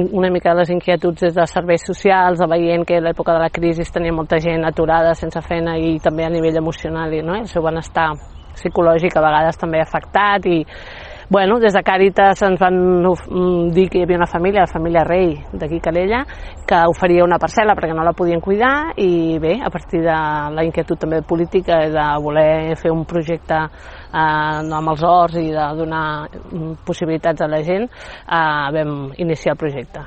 Una mica de les inquietuds des de serveis socials, veient que a l'època de la crisi tenia molta gent aturada, sense feina, i també a nivell emocional, i el seu benestar psicològic a vegades també afectat. I des de Càritas ens van dir que hi havia una família, la família Rei d'aquí Calella, que oferia una parcel·la perquè no la podien cuidar, i bé, a partir de la inquietud també política de voler fer un projecte amb els horts i de donar possibilitats a la gent, vam iniciar el projecte.